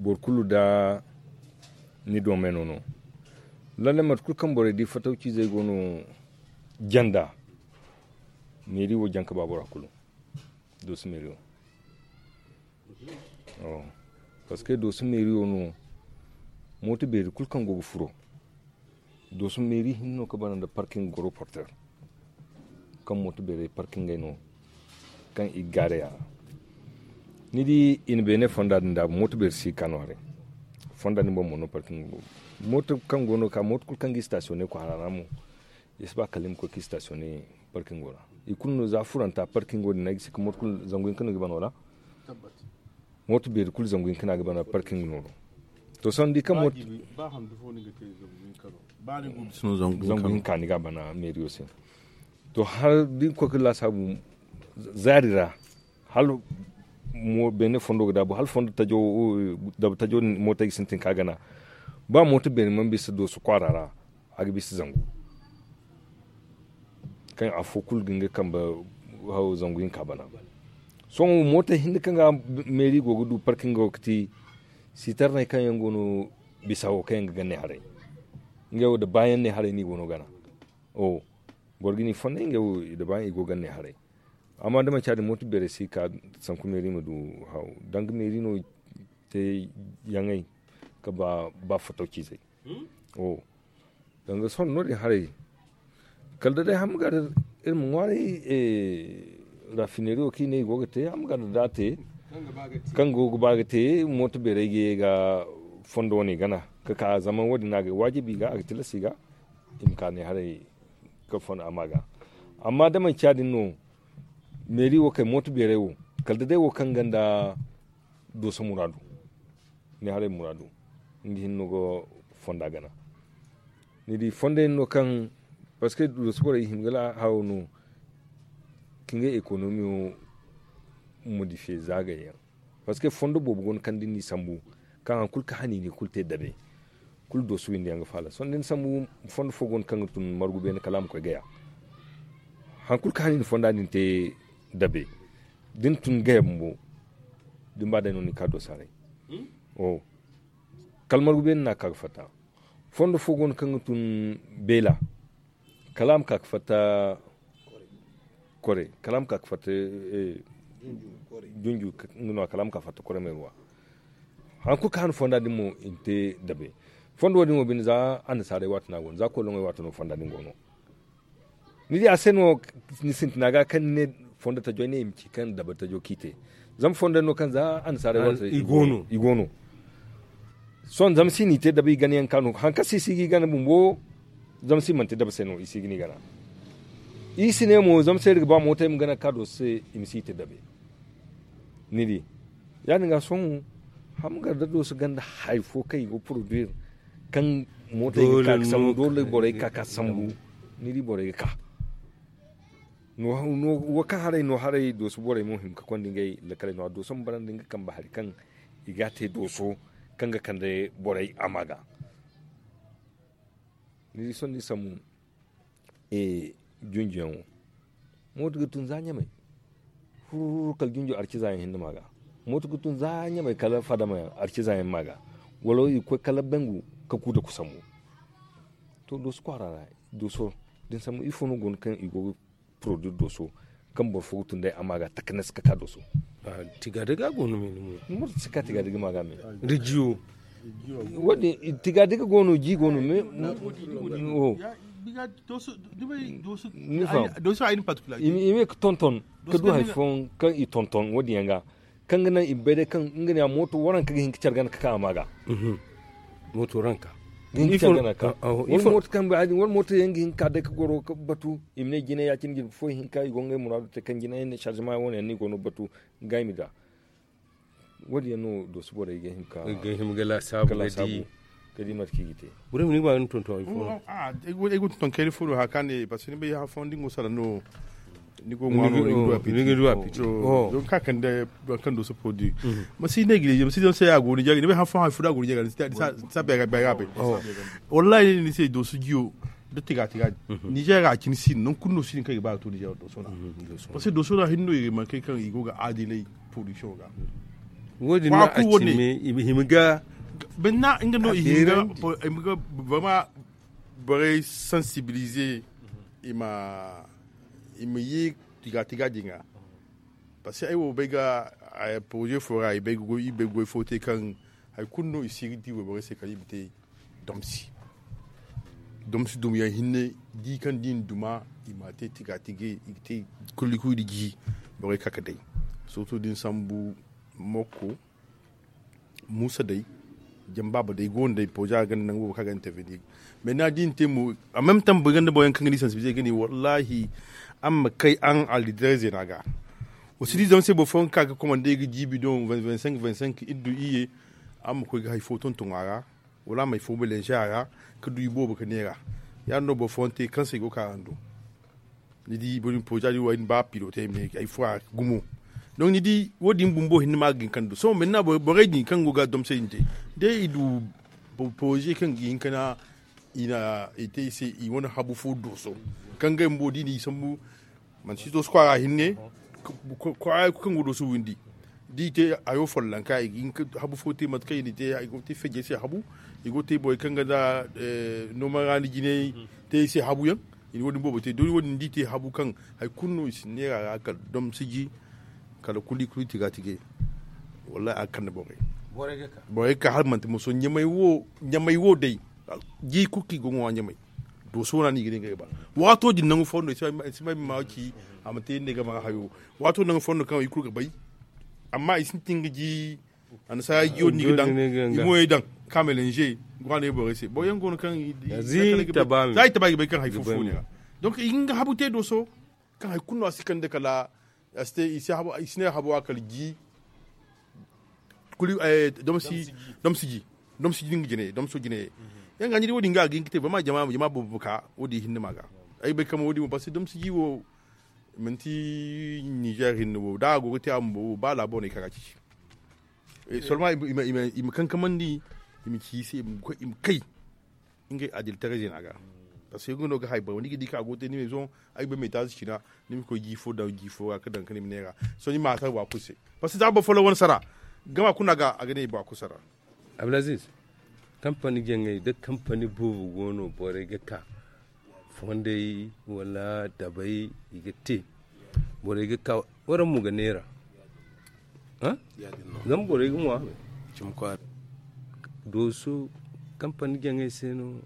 Boro kulu da ni doomeno no. Lallay mate kulu kaŋ borey di fatawciizey go no janda. Meeri wo jaŋ ka ba bora kulu dooso meeri wo. Parceque dooso meeri wo no mooto beeri kulu kaŋ go ga furo dooso meeri hinne no ka bana nda parking goro porter. Kaŋ mooto beerey parkingey no kaŋ i ga gaaray a ra. Ni di i na beene fonda din daabu mooto beeri si ga ka no haray. Fonda din boŋ mo no parking go mooto kaŋ go no ga ka mooto kulu kaŋ ga i sitasiyoŋ ne kwaara ra mo. I si ba kala i ma koy ka i sitasiyoŋ ne parkingo ra. I kulu no za furanta parkingo din no ay ga si ka mooto kulu zangu hinka no i ga bana wala? Mooto beeri kulu zangu hinka no a ga bana parkingo no do. To sohõ ni di kaŋ mooto zangu hinka ni ga a bana meeriyo se. To hala da ni koy ka laasaabu zaari ra hala beene fondo ga daabu hala fondo tajo dabu tajo din mootey ga sintin ka gana. Ba mooto beene mana bisa dooso kwaara ra a ga bisa zangu. Kaŋ afo kulu ga nga kambe zangu hinka bana. Sohõ mooto hinne kaŋ ga meeri go ga du parkingo ga ti sitarney kaŋ yaŋ go no bisa wo kaŋ yaŋ ga ganne haray. Ngey wo da baayaŋ ne haray no i go no gana. Boro ga ni fonday ngey wo i da baayaŋ i go ganne haray. Amma da manci ya- din mooto beerey si ga ka sanku meeri ma du haw danga meeri no te yaŋey ka ba fatawciizey. Danga sohõ no- din haray kala da day hamma ga da iri ma ŋwaaray rafineeriyo kaŋ i ne i go ga te hamma ga da da a te kaŋ go ga ba ga te mooto beerey ga ye ga fondo wane gana ka ka zama wo- din no a ga waajibi i ga a ga tilas i ga i ma ka ne haray ka fondo a ma ga. Amma da manci ya- din no meeri wo kay mooto beerey wo kala da day wo kaŋ ganda dooso muraadu ne haray muraadu nga hinne no ga fonda gana. Ni di fondo yaŋ no kaŋ parceque dooso borey i hima ga hawo no ka ngey ekonomiyo modifiye zaagay yaŋ. Parceque fondo boobo go no kaŋ da ni sambu kaŋ hari kulu ka haniini kulu te dabe kulu dooso windi yaŋ ga faala sohõ da ni sambu fondo fo go no kaŋ ga tun margu beene kala a ma koy gaya. Hari kulu kaŋ hane i na fonda din te dabe da ni tun gaya bumbo da ni ba day no ni ka doosa haray. Kala margu beene no a ka ga fatta. Fondo fo go no kaŋ ga tun beela kala a ma ka ga fatta kore kala a ma ka ga fatta junju nga no a kala a ma ka ga fatta kore meeruwa. Hari kulu kaŋ hane fonda din mo i na te dabe. Fondo wo- din wo binde za annasaarey waati no a go no za koloŋey waati no fonda din go no. Ni di a se no ni sintina ga kaŋ ni ne fondo tajo ay ne i ma ci kaŋ dabe tajo kaŋ i te. Zama fondo no kaŋ za annasaarey waati i go no. Sohõ zama si no i te dabe i gana yaŋ ka no hari kaŋ se i si ga i gana bumbo. Zama si mana te dabe se no i si ga ni gana. I si ne mo zama se iri ga ba mooto ay ma gana ga ka dooso se i ma si i te dabe. Ni di ya- din ga sohõ hamgar da dooso ganda hari fo kaŋ i go ga poroduir kaŋ mootey ga ka ga sambu doole borey ga ka ga sambu. Ni di borey ga ka wo kaŋ haray no haray dooso borey mo hima ga konda ngey lakaley no a dooso ma barandi nga kambe hari kaŋ i ga a te dooso kaŋ ga kande borey a ma ga. Ni di sohõ ni sambu junjuyaŋo mooto ga tun za ɲamay. Fururu kala junju arciza yaŋ hinne ma ga. Mooto ga tun za ɲamay kala fadama yaŋ arciza yaŋ ma ga. Wala i ga koy kala bangu ka ku da kusambu. To dooso kwaara ra dooso din sambu ifo no go no kaŋ i go ga poroduir dooso kaŋ boro fo ga tun day a ma ga takanas ka ka dooso. Tiga daga go no me ni mo ni mo si ka tiga daga ma ga me. Rijiyo. Tiga daga go no ji go no me. Ni faham i me ga tonton ka du hari fooyaŋ kaŋ i tonton wo- din yaŋ ga kaŋ ga naŋ i ma bay day kaŋ nga ne a mooto waranka ga hin ga care gana ga ka a ma ga. Mooto waranka ga hin ga care gana ga ka wala mooto yaŋ ga hin ga ka day ga goro ga batu i ma ne jinay ya- cine jirbi fo hinka i go ngey muraadu te kaŋ jinay ne sarzema wo- ne yaŋ no i go no ga batu ga i ma da. Wo- din yaŋ no dooso borey ga hin ga ka laasaabu ga di mate kaŋ i ga te. Boro ma ni ga ba ga ni tonton ay fo no ay go tonton kayna fo no hari kaŋ a ne parceque ni bay hari fooyaŋ da ni go salaŋ no ni go ŋwa no ni ga du a piti. Don ka kande boro kaŋ dooso produit ma si ne ga ne ma si ne se a go ni jare ni bay hari fooyaŋ hari fo da a go ni jare ni si a bay ga bay. Wallahi ni se dooso jiyo da tiga tiga din nizer ra a cine si no nangu kulu no si din kaŋ i ga ba ga to nizer dooso ra. Parceque dooso ra hinne no i ga mankey kaŋ i go ga aadilay production ga. Wo- din no a cine i ma hima ga banda nga no i hima ga vraiment borey sensibiliser i ma ye tiga tiga din ga. Parceque ay wo bay ga projet fo ra i bay ga goy fo te kaŋ hari kulu no i si ga di wayborey se kala i ma te domsi. Domsi dum yaŋ hinne di kaŋ da i na duma i ma te tiga tiga i ga te kulu kulu da ji borey ka ga day. Surtout da ni sambu mokko muusa day jambaaba day go no day pooja ga ganda nangu boobo kaŋ a ga intervenir. Mais ni na di ni te mo a même temps boro ganda boro yaŋ kaŋ ga ni sensibiliser ga ne wallahi araŋ ma kay araŋ allideray zeena ga. Wa si di zama se boro fooyaŋ ga ka ga komande ga jiibi don vingt cinq vingt cinq iri du iyye. Araŋ ma koy ga hari fo tonton a ra wala a ma hari fo mélanger a ra ga du iboobo ga neera. Ya- din no boro fooyaŋ te kaŋ se i go ga ka araŋ do. Ni di boro din pooja din wo ay na ba pilote me ay furo a gumo. Donc ni di wo- din bumbo hinne ma ga hin kaŋ du sohõ minna borey din kaŋ go ga domse din te day i du pooje kaŋ ga hin ka na i na i te i se i wane habu fo dooso kaŋ ga ay bumbo da i na i sambu. Manti dooso kwaara hinne kwaara kaŋ go dooso windi da i te hayo follonka i ga hin ka habu fo te mate kaŋ i na te i go ga te feejey se habu. I go ga te borey kaŋ ga nda noman raani jinay te i se habu yaŋ. I na wo- din boobo te doori wo- din da i te habu kaŋ hari kulu no i si neera ra kala domsiji kala kuli kuli tiga tige. Wallahi a ga kande borey borey ga ka hala manti moso ɲamay wo day ji kulu kaŋ i go ga ŋwa ɲamay. Dooso no a no i ga ne ngey ba waato din nangu fooyaŋ no i si bay ma ci a ma te ne ga ma hayo. Waato nangu fooyaŋ no kaŋ i kulu ga bay. Amma i sintin ga ji annasaara jiyo din i ga daŋ i mo ye daŋ ka mélanger ga wane borey se boro yaŋ go no kaŋ za i taba i ga bay kaŋ hari fo fo ne ra. Donc i ga nga habu te dooso kaŋ hari kulu no a si kande kala a si te i si ne habu a kala ji. Kuli domsi ji domsi ji din ga jine domso jine. Yaŋ ga ni di wo- din ga a ga hin ga te boro ma jama boobo ka wo- din hinne ma ga. Ay bay kama wo- din wo parce que domsi ji wo manti nizer hinne wo da a go ga te a bumbo wo ba laabo no i ka ga a ci. Solma i ma kankamandi i ma ci i se i ma kay ngey adilitaray zeena ga. Parce que nga no ga hay bay wala ni ga di ka a go te ni ma ay bay ma etaaz cina. Ni ma koy jiifo daŋ jiifo ga ka daŋ ka ni ma neera. Sohõ ni ma a sara bora kulu se. Parce que za boro folloŋ wane sara gama kuna ga a ga ne bora kulu sara. Abdulaziz, kampani jaŋay da kampani boobo go no borey ga ka fondey wala dabey i ga te. Borey ga ka waraŋ mo ga neera. Zama borey ga ŋwa. Dooso kampani jaŋay se no.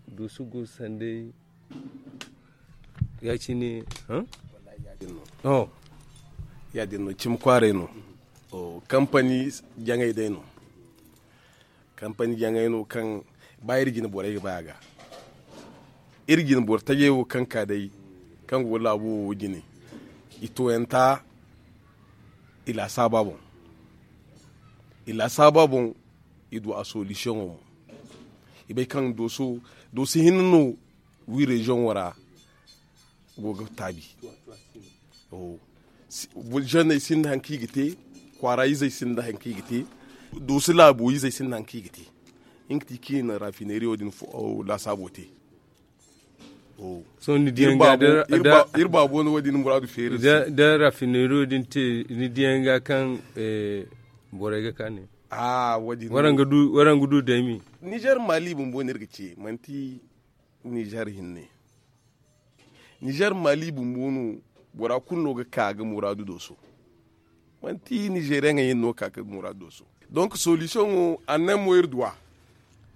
Dooso go sanday ya- cine. Ya- din no cimi kwaaray no. Kampani jaŋay day no. Kampani jaŋay no kaŋ ba iri jine borey ga bay a ga. Iri jine boro tajey wo kaŋ ka day kaŋ go laabo wo jine. I tooyanta i laasaaba boŋ. I laasaaba boŋ i du a solisiyoŋo mo. I bay kaŋ dooso dooso hinne no wi reziyoŋo ra go ga taabi. Zeeney sinda hari kaŋ i ga te. Kwaara izey sinda hari kaŋ i ga te. Dooso laabo izey sinda hari kaŋ i ga te. Nga ti kaŋ i na rafineeriyo din laasaabo te. Sohõ ni diyaŋ ga iri baabo no wo- din muraadu feeri se. Da rafineeriyo din te ni diyaŋ ga kaŋ borey ga ka ne. Waraŋ ga du daymi. Nizer maali bumbo no iri ga ce manti nizer hinne. Nizer maali bumbo no bora kulu no ga ka ga muraadu dooso. Manti nizeriyaŋey yaŋ no ga ka ga muraadu dooso. Donk solisiyoŋo annan mo iri du a.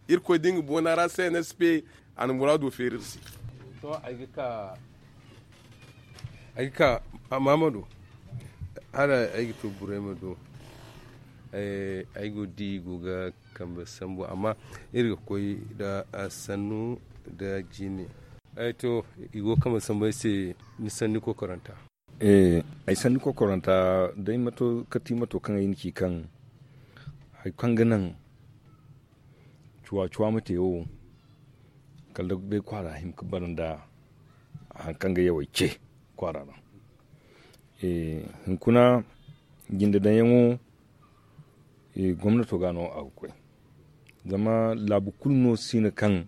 Irkoy da nga boona ra cnsp a na muraado feeri iri se. Sohõ ay ga ka ay ga ka maamado hala ay ga to burayma do. Ay go ga di i go ga kambe sambu amma iri ga koy nda sannu nda jine. To i go ga kambe sambu ay se. Ni sanni kokoranta. Ay sanni kokoranta day mato kati mato kaŋ ay na ci kaŋ hari kaŋ ga naŋ cuwa cuwa ma te wo kala day kwaara hima ga bara nda hari kaŋ ga yawey ce kwaara ra. Hunkuna jinde daŋyaŋo gomnato ga no a ga koy. Zama laabu kulu no si no kaŋ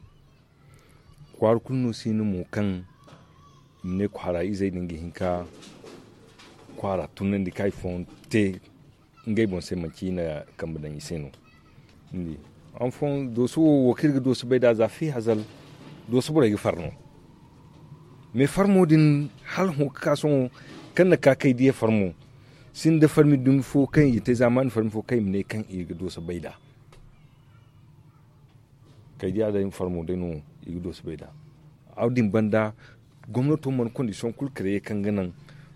kwaara kulu no si no mo kaŋ i ma ne kwaara izey din ga hin ka kwaara tunandi ka hari fooyaŋ te ngey boŋ se manci i na kambe daŋ i se no. Ni di han fooyaŋ dooso wo wo kaŋ iri ga dooso bay nd'a za fi hazal dooso borey ga far no. Mais farmo din hala hõ ga ka sohõ kaŋ na ka kay diya farmo sinda farmi dumi fo kaŋ i ga te zaamaani farmi fo kaŋ i ma ne kaŋ i ga dooso bay nd'a. Kay diya day farmo day no i ga dooso bay nd'a. Wo- din banda gomnato mana kondisiyoŋ kulu kare kaŋ ga naŋ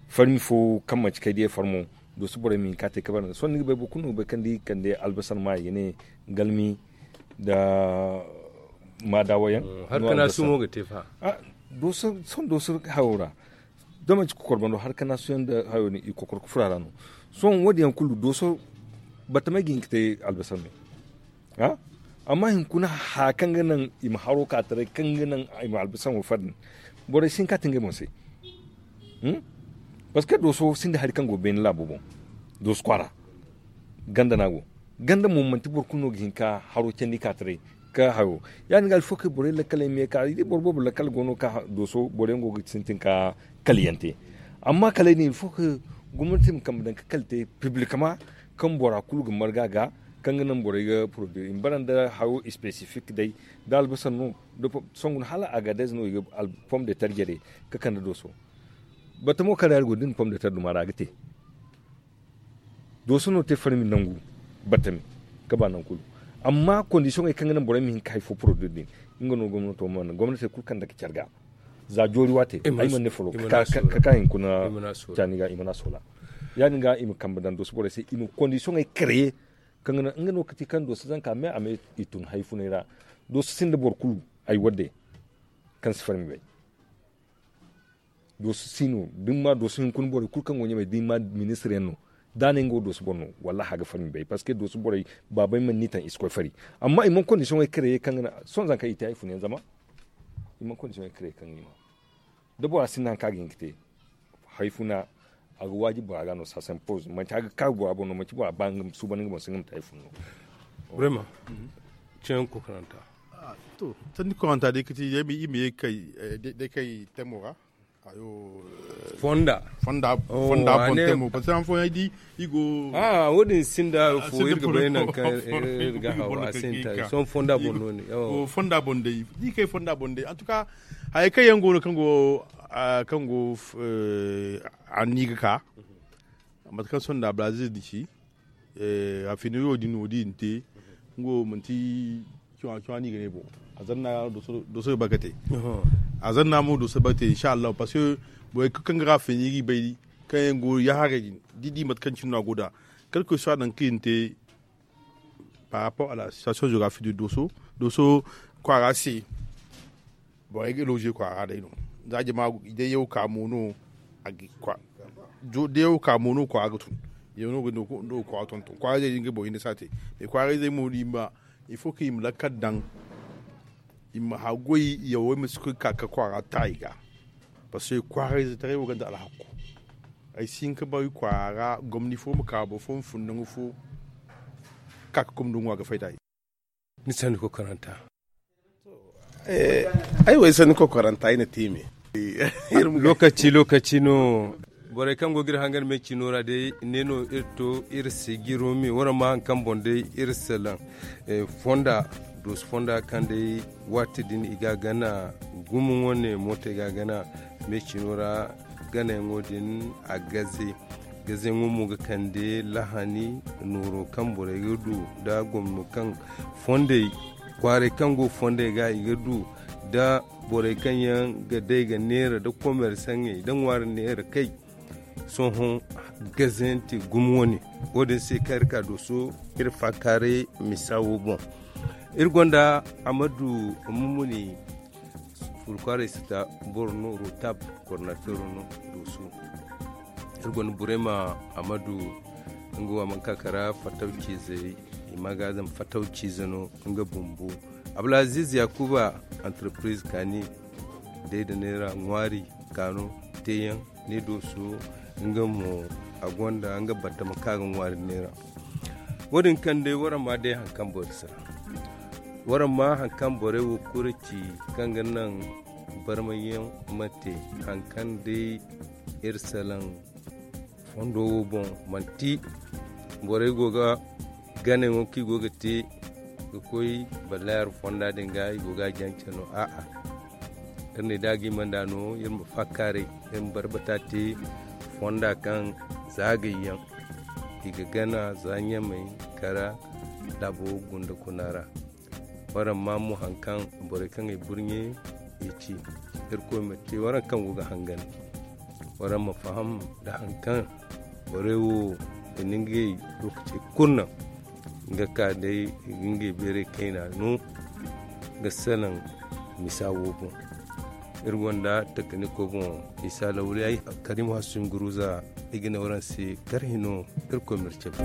farmi fo kaŋ manci kay diya farmo dooso borey ma hin ka te ka bara nd'a sohõ ni ga bay boro kulu no ga bay kaŋ da i kande albasar ma i ga ne galmi nda maadawa yaŋ. Hari ka naasuyaŋo ga te fa. Sohõ dooso hayo ra da manci kokorbando hari ka naasuyaŋ nda hayo din i kokor ga furo a ra no. Sohõ wo- din yaŋ kulu dooso batamey ga hin ga te albasar me. Amma hunkuna haya kaŋ ga naŋ i ma haro ka taray kaŋ ga naŋ i ma albasar wo far din borey si hin ka te ngey boŋ se. Parceque dooso sinda hari kaŋ go beene laabo boŋ dooso kwaara ganda no a go. Ganda mo manti boro kulu no ga hin ka haro candi ka taray ka hayo. Ya- din ga alfo kaŋ borey lakkaley me ka i di boro boobo lakkal go no ka dooso boro yaŋ go ga sintin ka kala yaŋ te. Amma kala ay ne alfo kaŋ gomnati ma kambe daŋ ka kala te publikama kaŋ bora kulu ga marga ga kaŋ ga naŋ borey ga poroduwi i ma bara nda hayo spesifik day da albasar no. Sohõ guna hala agadez no i ga pom de tar jare ka kande dooso. Batamo kaŋ ra iri go da ni pom de tar duma ra a ga te. Dooso no te farmi nangu batami ka ba nangu kulu. Amma kondisiyoŋey kaŋ ga naŋ borey ma hin ka hari fo poroduwi din nga no gomnato mana gomnatey kulu kaŋ dake care ga. Za joori waate ay mana ne folo ka ka hinkuna caani ga i mana soola. Ya- din ga i ma kambe daŋ dooso borey se i ma kondisiyoŋey kareye kaŋ ga naŋ nga no ga ti kaŋ dooso zanka me a ma i tun hari funay ra. Dooso sinda boro kulu ay wadde kaŋ si farmi bay. Dooso si no da ni ma dooso hinkuna borey kulu kaŋ go ɲamey da ni ma ministir yaŋ no da a ne nga wo dooso boro no. Wallahi a ga farmi bay parceque dooso borey baabey mana ni taŋ i si koy fari. Amma i mana kondisiyoŋey kareye kaŋ ga naŋ sohõ zanka i te hari funa yaŋ zama i mana kondisiyoŋey kareye kaŋ ga ni ma da bora sinda hari kaŋ a ga hin ga te hari funa. A ga waajibi bora ga no sasanpoz manci a ga kaaru bora boŋ no manci bora ba nga ma suuban nga boŋ se nga ma te hari funa no. Vraiment. Ceeyaŋ kokoranta. To, sanni koranta day kati day ma ye kay day kay temo ra. Fonda fonda bon temo parce que han fooyaŋ ay di i go a wo- din sinda fo iri ga bay nangu kaŋ iri ga haw a sinda sohõ fonda bon no ne. Fonda bon day di kay fonda bon day en tout cas. Hayey kaŋ yaŋ go no kaŋ go kaŋ go a ni ga ka mate kaŋ sohõ nda brazil din ci. A fina yo din no din te. Nga wo manti cuwa cuwa no i ga ne boŋ. A zanna doso ga bakate. A zanna mo doso ga bakate inshallahu parce que borey kulu kaŋ ga ra fina i ga i bay kaŋ yaŋ go yaharay din da i di mate kaŋ cine no a go nd'a. Kala koy sohõ a naŋ kaŋ i na te par rapport à la situation géographique de doso doso kwaara se. Borey ga loge kwaara day no za jama day yaw ka mo no. Day yaw ka mo no kwaara ga tun yaw no ga kwaara tonton kwaara day din ga boro hinne si a te. Mais kwaara izey mo da i ma il faut que i ma lakkal daŋ i ma haggoy yawey ma si koy ka ka kwaara ta i ga. Parce que kwaara izey taray wo gonda alhakku. Ay si hin ka bay kwaara ra gomni fo ma ka boro fo ma fun nangu fo ka ka gomni ŋwa ga fay da i. Ni sanni kokoranta. Ay wo ay sanni kokoranta ay na te me. Lokaci lokaci no. Borey kaŋ go ga iri hangan me cino ra day ne no iri to iri si giro me waraŋ ma hari kaŋ boŋ day iri salaŋ fonda doosu fonda kaŋ day waati din i ga a gana gumo wane mootey ga a gana me cino ra. Ganayaŋo din a gaze gazeyaŋo mo ga kande lahani nooro kaŋ borey ga du nda gomno kaŋ fondey kwaaray kaŋ go fondey ga i ga du nda borey kaŋ yaŋ ga day ga neera nda komersaŋey nda ŋwaari neera kay. Sohõ gazayaŋ te gumo wane wo- din se kaŋ iri ka dooso iri faakaaray misa wo boŋ. Iri gonda amadu mumuni furkwaaray sita boro no rotab kornafero no dooso. Iri gonda burema amadu nga wo a mana ka kara fataw ciizey i ma ga zama fataw ciize no nga bumbo. Abdulaziz yakuba entreprise kaani day da neera ŋwaari kaano teeyaŋ ni dooso nga mo a gonda nga battama ka ga ŋwaari neera. Wo- din kaŋ day waraŋ ma day hari kaŋ boro si ra waraŋ ma hari kaŋ borey wo kulu ci kaŋ ga naŋ barmayaŋ ma te hari kaŋ day iri salaŋ fondo wo boŋ manti borey go ga ganayaŋo kaŋ i go ga te ga koy ballayar fonda din ga i go ga a jance no a'a. Iri ne da a ga i manda no iri ma faakaaray iri ma barbata te fonda kaŋ za gayyaŋ i ga gana za ɲamay kara laabo gunda kuna ra. Waraŋ ma mo hari kaŋ borey kaŋ ay burɲe i ci irkoy ma te waraŋ kaŋ go ga hangan waraŋ ma faham nda hari kaŋ borey wo i na ngey lookacey kulu naŋ nga ka day i ga ngey beeray kayna no ga salaŋ misa wo boŋ. Iri gonda takaniko boŋ isa lawliyay karim hasumi guruza i ga ne waraŋ se kar hino. Irkoy ma iri cabe.